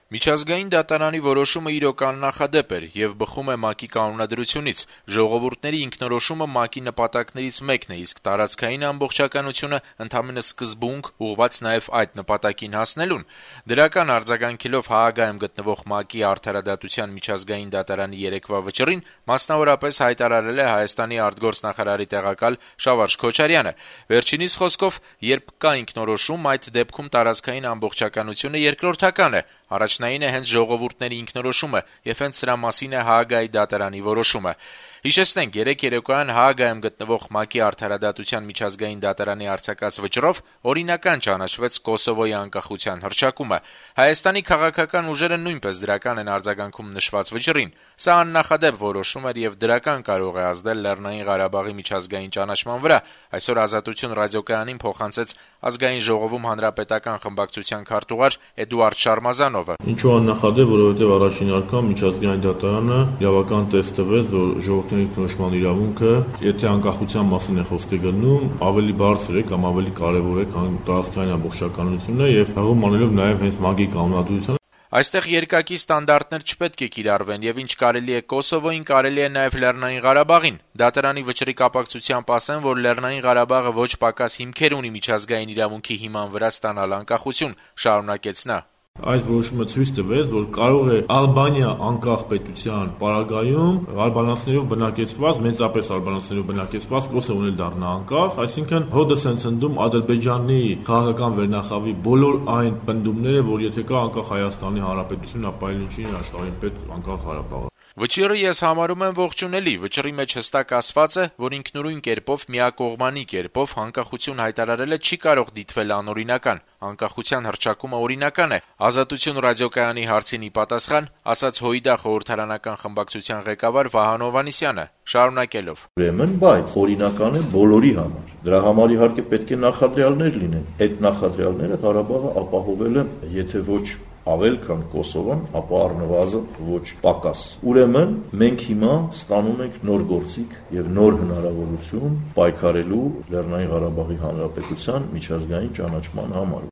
Միջազգային դատարանի որոշումը իրոք աննախադեպ էր եւ բխում է ՄԱԿ-ի կանոնադրությունից։ Ժողովուրդների ինքնորոշումը ՄԱԿ-ի նպատակներից մեկն է, իսկ տարածքային ամբողջականությունը ընդամենը սկզբունք, ուղղված նաեւ այդ նպատակին հասնելուն։ Դրական արձագանքելով Հաագայում գտնվող ՄԱԿ-ի արդարադատության միջազգային դատարանի երեկվա վճռին, մասնավորապես հայտարարել է Հայաստանի արտգործնախարարի տեղակալ Շավարժ Քոչարյանը։ Վերջինիս խոսքով, երբ կա ինքնորոշում, այդ դեպքում տարածքային ամբողջականությունը երկրորդական է։ Առաջնային է հենց ժողովուրդների ինքնորոշումը, եւ հենց սրա մասին է Հաագայի դատարանի որոշումը։ Հիշեցնենք, երեկ երեկոյան Հաագայում գտնվող ՄԱԿ-ի արդարադատության միջազգային դատարանի արձակած վճռով օրինական ճանաչվեց Կոսովոյի անկախության հռչակումը։ Հայաստանի քաղաքական ուժերը նույնպես դրական են արձագանքում նշված վճռին։ Սա աննախադեպ որոշում էր եւ դրական կարող է ազդել Լեռնային Ղարաբաղի միջազգային ճանաչման վրա։ Այսօր Ազատություն ռադիոկայանին փոխանցեց Ազգային ժողովում հանրապետական խմբակցության քարտուղար Էդուարդ Շարմազանովը։ Ինչու աննախադեպ, որովհետեւ առաջին անգամ միջազգային դատարանը իրավական տեստ տվեց, որ ժողովրդների ինքնորոշման իրավունքը, եթե անկախության մասին է խոսքը գնում, ավելի բարձր է կամ ավելի կարեւոր է, քան տարածքային ամբողջականությունը եւ հղում անելով նաեւ հենց ՄԱԿ-ի կանոնադրությանը։ Այստեղ երկակի ստանդարտներ չպետք է կիրառվեն եւ ինչ կարելի է Կոսովոյին, կարելի է նաեւ Լեռնային Ղարաբաղին։ Դատարանի վճռի կապակցությամբ ասեն, որ Լեռնային Ղարաբաղը ոչ պակաս հիմքեր ունի միջազգային իրավունքի հիման վրա ստանալ անկախություն, շարունակեց նա։ Այս որոշումը ցույց տվեց, որ կարող է Ալբանիա անկախ պետության պարագայում ալբանացիներով բնակեցված, մեծապես ալբանացիներով բնակեցված Կոսովոն էլ դառնա անկախ, այսինքն հոդս են ցնդում Ադրբեջանի քաղաքական վերնախավի բոլոր այն պնդումները, որ եթե կա անկախ Հայաստանի Հանրապետություն, ապա էլ ինչի աշխարհին պետք անկախ Ղարաբաղը։ Վճիռը ես համարում եմ ողջունելի։ Վճռի մեջ հստակ ասված է, որ ինքնուրույն կերպով, միակողմանի կերպով անկախություն հայտարարելը չի կարող դիտվել անօրինական։ Անկախության հռչակումը օրինական է։ Ազատություն ռադիոկայանի հարցին ի պատասխան ասաց ՀՅԴ խորհրդարանական խմբակցության ղեկավար Վահան Հովհաննիսյանը, շարունակելով. Ուրեմն, բայց օրինական է բոլորի համար։ Դրա համար իհարկե պետք է նախադրյալներ լինեն։ Այդ նախադրյալները Ղարաբաղը ապահովել են, եթե ոչ ավել քան Կոսովոն, ապա առնվազն ոչ պակաս։ Ուրեմն մենք հիմա ստանում ենք նոր գործիք եւ նոր հնարավորություն պայքարելու Լեռնային Ղարաբաղի Հանրապետության միջազգային ճանաչման համար։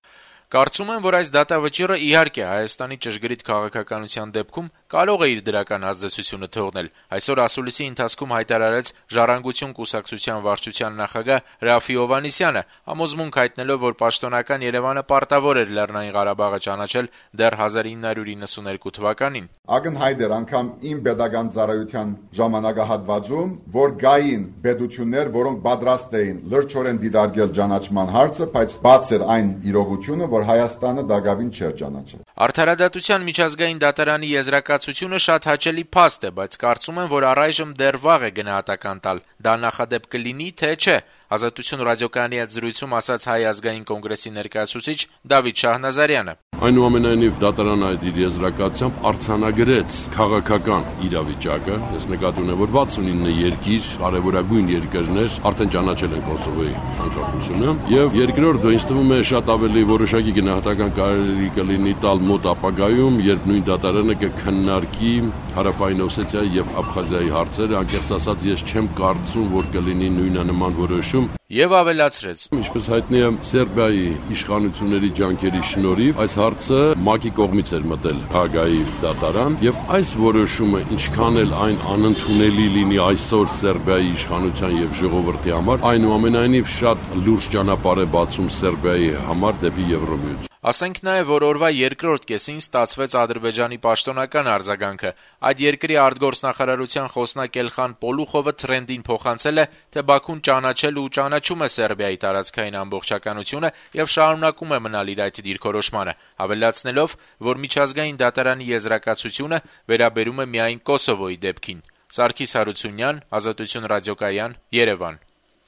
Կարծում եմ, որ այս դատավճիռը իհարկե Հայաստանի ճշգրիտ քաղաքականության դեպքում կարող է իր դրական ազդեցությունը թողնել։ Այսօր ասուլիսի ընթացքում հայտարարեց Ժառանգություն կուսակցության վարչության նախագահ Ռաֆի Հովհաննիսյանը, համոզմունք հայտնելով, որ պաշտոնական Երևանը պարտավոր էր Լեռնային Ղարաբաղը ճանաչել դեռ 1992 թվականին։ Ակնհայտ էր անգամ իմ pedagogan ծառայության ժամանակահատվածում, որ գային պետություններ, որոնք պատրաստ էին լրջորեն դիտարկել ճանաչման հարցը, բայց բաց էր այն իրողությունը, որ Հայաստանը դակավին չէր ճանաչել։ Արդարադատության միջազգային դատարանի եզրակացությունը շատ հաճելի փաստ է, բայց կարծում եմ, որ առայժմ դեռ վաղ է գնահատական տալ։ Դա նախադեպ կլինի, թե չէ։ Ազատություն ռադիոկայանի հետ զրույցում ասաց Հայ ազգային կոնգրեսի ներկայացուցիչ Դավիթ Շահնազարյանը։ Այնուամենայնիվ դատարանը այդ իր եզրակացությամբ արձանագրեց քաղաքական իրավիճակը։ Ես նկատի ունեմ, որ 69 երկիր, կարևորագույն երկրներ արդեն ճանաչել են Կոսովոյի անկախությունը, եւ երկրորդը ինձ թվում է շատ ավելի որոշակի գնահատական կարելի կլինի տալ մոտ ապագայում, երբ նույն դատարանը կքննարկի Հարավային Օսեթիայի եւ Աբխազիայի հարցերը, անկեղծ ասած ես չեմ կարծում, որ կլինի նույնանման որոշում։ Եվ ավելացրեց. Ինչպես հայտնի է, Սերբիայի իշխանությունների ջանքերի շնորհիվ այս հարցը ՄԱԿ-ի կողմից էր մտել Հաագայի դատարան, եւ այս որոշումը ինչքան էլ այն անընդունելի լինի այսօր Սերբիայի իշխանության եւ ժողովրդի համար, այնուամենայնիվ շատ լուրջ ճանապարհ է բացում Սերբիայի համար դեպի Եվրոմիություն։ Ասենք նաև, որ օրվա երկրորդ կեսին ստացվեց Ադրբեջանի պաշտոնական արձագանքը։ Այդ երկրի արտգործնախարարության խոսնակ Էլխան Պոլուխովը թրենդին փոխանցել է, թե Բաքուն ճանաչել ու ճանաչում է Սերբիայի տարածքային ամբողջականությունը եւ շարունակում է մնալ իր այդ դիրքորոշմանը, ավելացնելով, որ միջազգային դատարանի եզրակացությունը վերաբերում է միայն Կոսովոյի դեպքին։ Սարգիս Հարությունյան, Ազատություն ռադիոկայան, Երևան։